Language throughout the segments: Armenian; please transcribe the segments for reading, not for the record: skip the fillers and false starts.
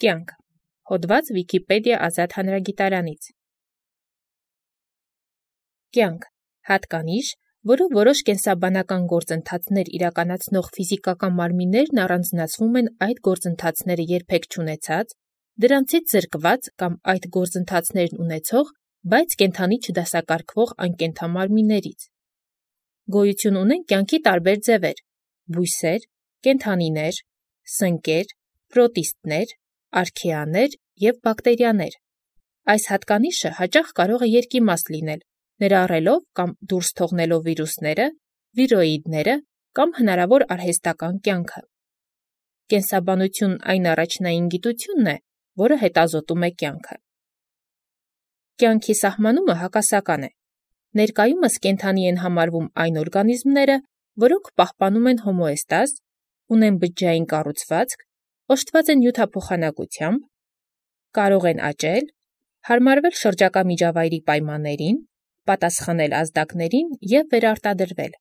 Կյանք։ Հոդված Վիկիպեդիա ազատ հանրագիտարանից։ Կյանք հատկանիշ, որով որոշ կենսաբանական գործընթացներ իրականացնող ֆիզիկական մարմիններն առանձնացվում են այդ գործընթացները երբեք չունեցած, դրանցից զրկված կամ այդ գործընթացներն ունեցող, բայց կենդանի չդասակարգվող անկենդամարմիններից։ Գոյություն ունեն կյանքի տարբեր ձևեր՝ բույսեր, կենդանիներ, սնկեր, պրոտիստներ, արքեաներ և բակտերիաներ։ Այս հատկանիշը հաճախ կարող է երկիմաստ լինել, ներառելով կամ դուրս թողնելով վիրուսները, վիրոիդները կամ հնարավոր արհեստական կյանքը։ Կենսաբանությունն այն առաջնային գիտությունն է, որը հետազոտում է կյանքը։ Կյանքի սահմանումը հակասական է։ Ներկայումս կենդանի են համարվում այն օրգանիզմները, որոնք պահպանում են հոմոեստազ, ունեն բջջային կառուցվածք, օժտված են նյութափոխանակությամբ, կարող են աճել, հարմարվել շրջակա միջավայրի պայմաններին, պատասխանել ազդակներին և վերարտադրվել։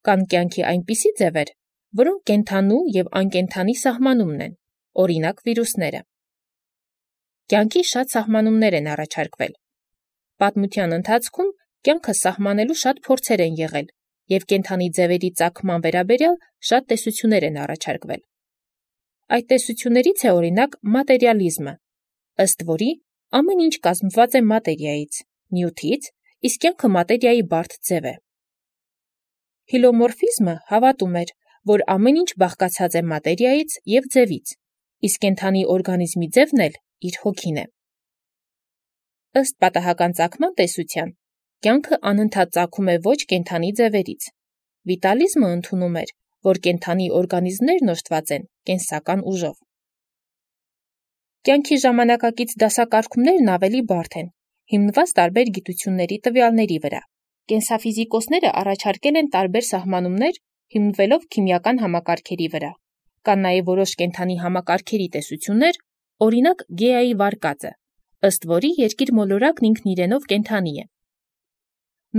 Կան կյանքի այնպիսի ձևեր, որոնք կենդանու և անկենդանի սահմանումն են, օրինակ վիրուսները։ Կյանքի շատ սահմանումներ են առաջարկվել։ Պատմության ընթացքում կյանքը սահմանելու շատ փորձեր են եղել, և կենդանի ձևերի ծագման վերաբերյալ շատ տեսություններ են առաջարկվել։ Այդ տեսություններից է օրինակ մատերիալիզմը, ըստ որի ամեն ինչ կազմված է մատերիայից, նյութից, իսկ կյանքը մատերիայի բարդ ձև է։ Հիլոմորֆիզմը հավատում էր, որ ամեն ինչ բաղկացած է մատերիայից և ձևից, իսկ կենդանի օրգանիզմի ձևն էլ իր հոգին է։ Ըստ պատահական ծագման տեսության, կյանքը անընդհատ ծագում է ոչ կենդանի ձևերից։ Վիտալիզմը ընդունում էր, որ կենդանի օրգանիզմներն օժտված են կենսական ուժով։ Կյանքի ժամանակակից դասակարգումներն ավելի բարդ են, հիմնված տարբեր գիտությունների տվյալների վրա։ Կենսաֆիզիկոսները առաջարկել են տարբեր սահմանումներ, հիմնվելով քիմիական համակարգերի վրա։ Կան նաև որոշ կենդանի համակարգերի տեսություններ, օրինակ Գեայի վարկածը, ըստ որի երկիր մոլորակն ինքն իրենով կենդանի է։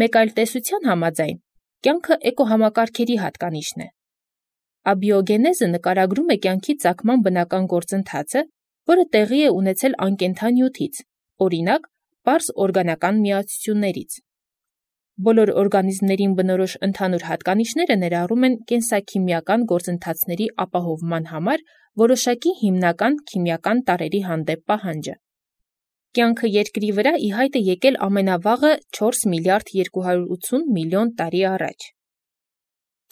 Մեկ այլ տեսության համաձայն, կյանքը էկոհամակարգերի հատկանիշն է։ Աբիոգենեզը նկարագրում է կյանքի ծագման բնական գործընթացը, որը տեղի է ունեցել անկենդան նյութից, օրինակ, պարզ օրգանական միացություններից։ Բոլոր օրգանիզմներին բնորոշ ընդհանուր հատկանիշները ներառում են կենսաքիմիական գործընթացների ապահովման համար որոշակի հիմնական քիմիական տարրերի հանդեպ պահանջը։ Կյանքը երկրի վրա ի հայտ է եկել ամենավաղը 4 միլիարդ 280 միլիոն տարի առաջ։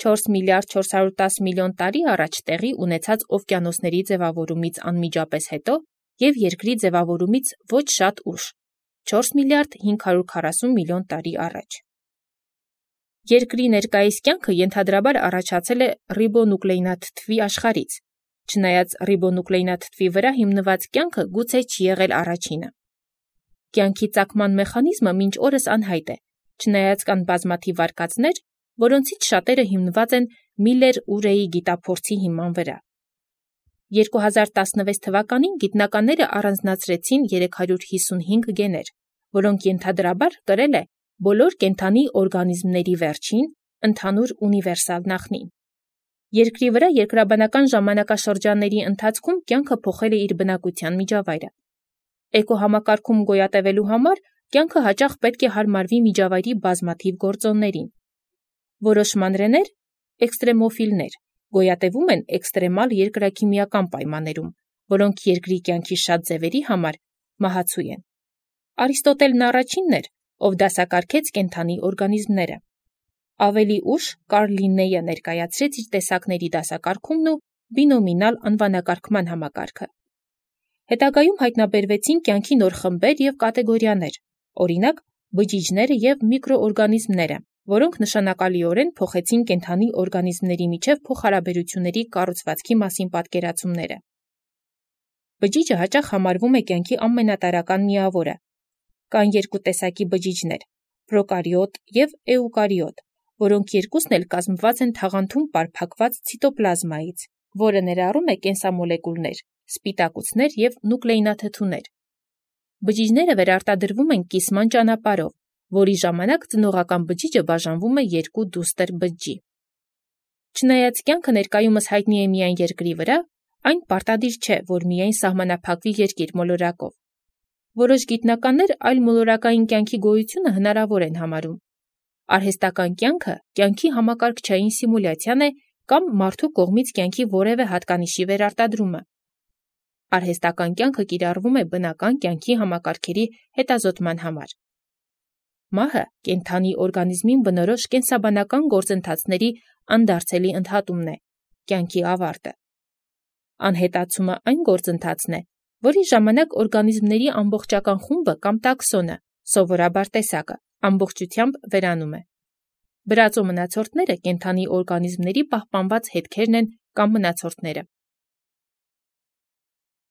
4 միլիարդ 410 միլիոն տարի առաջ տեղի ունեցած օվկիանոսների ձևավորումից անմիջապես հետո և երկրի ձևավորումից ոչ շատ ուշ, 4 միլիարդ 540 միլիոն տարի առաջ։ Երկրի ներկայիս կյանքը ենթադրաբար առաջացել է ռիբոնուկլեինաթթվի աշխարհից, չնայած ռիբոնուկլեինաթթվի վրա հիմնված կյանքը գուցե չի եղել առաջինը։ Կյանքի ծագման մեխանիզմը մինչ օրս անհայտ է, չնայած կան բազմաթիվ վարկածներ, որոնցից շատերը հիմնված են Միլլեր-Ուրեի գիտափորձի հիման վրա։ 2016 թվականին գիտնականները առանձնացրեցին 355 գեներ, որոնք ենթադրաբար կրել է բոլոր կենդանի օրգանիզմների վերջին, ընդհանուր ունիվերսալ նախնին։ Երկրի վրա երկրաբանական ժամանակաշրջանների ընթացքում կյանքը փոխել է իր բնակության միջավայրը։ Էկոհամակարգում գոյատևելու համար կյանքը հաճախ պետք է հարմարվի միջավայրի բազմաթիվ գործոններին։ Որոշ մանրեներ, էքստրեմոֆիլներ, գոյատևում են էքստրեմալ երկրաքիմիական պայմաններում, որոնք երկրի կյանքի շատ ձևերի համար մահացու են։ Արիստոտելն առաջինն էր, ով դասակարգեց կենդանի օրգանիզմները։ Ավելի ուշ Կարլ Լիննեյը ներկայացրեց իր տեսակների դասակարգումն ու բինոմինալ անվանակարգման համակարգը։ Հետագայում հայտնաբերվեցին կյանքի նոր խմբեր և կատեգորիաներ, օրինակ բջիջները և միկրոօրգանիզմները, որոնք նշանակալիորեն փոխեցին կենդանի օրգանիզմների միջև փոխհարաբերությունների կառուցվածքի մասին պատկերացումները։ Բջիջը հաճախ համարվում է կյանքի ամենատարրական միավորը։ Կան երկու տեսակի բջիջներ՝ պրոկարիոտ և էուկարիոտ, որոնք երկուսն էլ կազմված են թաղանթում պարփակված ցիտոպլազմայից, որը ներառում է կենսամոլեկուլներ, սպիտակուցներ և նուկլեինաթթուներ։ Բջիջները վերարտադրվում են կիսման ճանապարհով, որի ժամանակ ծնողական բջիջը բաժանվում է երկու դուստր բջջի։ Չնայած կյանքը ներկայումս հայտնի է միայն երկրի վրա, Այն պարտադիր չէ, որ միայն սահմանափակվի երկիր մոլորակով։ Որոշ գիտնականներ այլ մոլորակային կյանքի գոյությունը հնարավոր են համարում։ Արհեստական կյանքը կյանքի համակարգչային սիմուլյացիան է կամ մարդու կողմից կյանքի որևէ հատկանիշի վերարտադրումը։ Արհեստական կյանքը կիրառվում է բնական կյանքի համակարգերի հետազոտման համար։ Մահը կենդանի օրգանիզմին բնորոշ կենսաբանական գործընթացների անդարձելի ընդհատումն է, կյանքի ավարտը։ Անհետացումը այն գործընթացն է, որի ժամանակ օրգանիզմների ամբողջական խումբը կամ տաքսոնը, սովորաբար տեսակը, ամբողջությամբ վերանում է։ Բրածո մնացորդները կենդանի օրգանիզմների պահպանված հետքերն են կամ մնացորդները։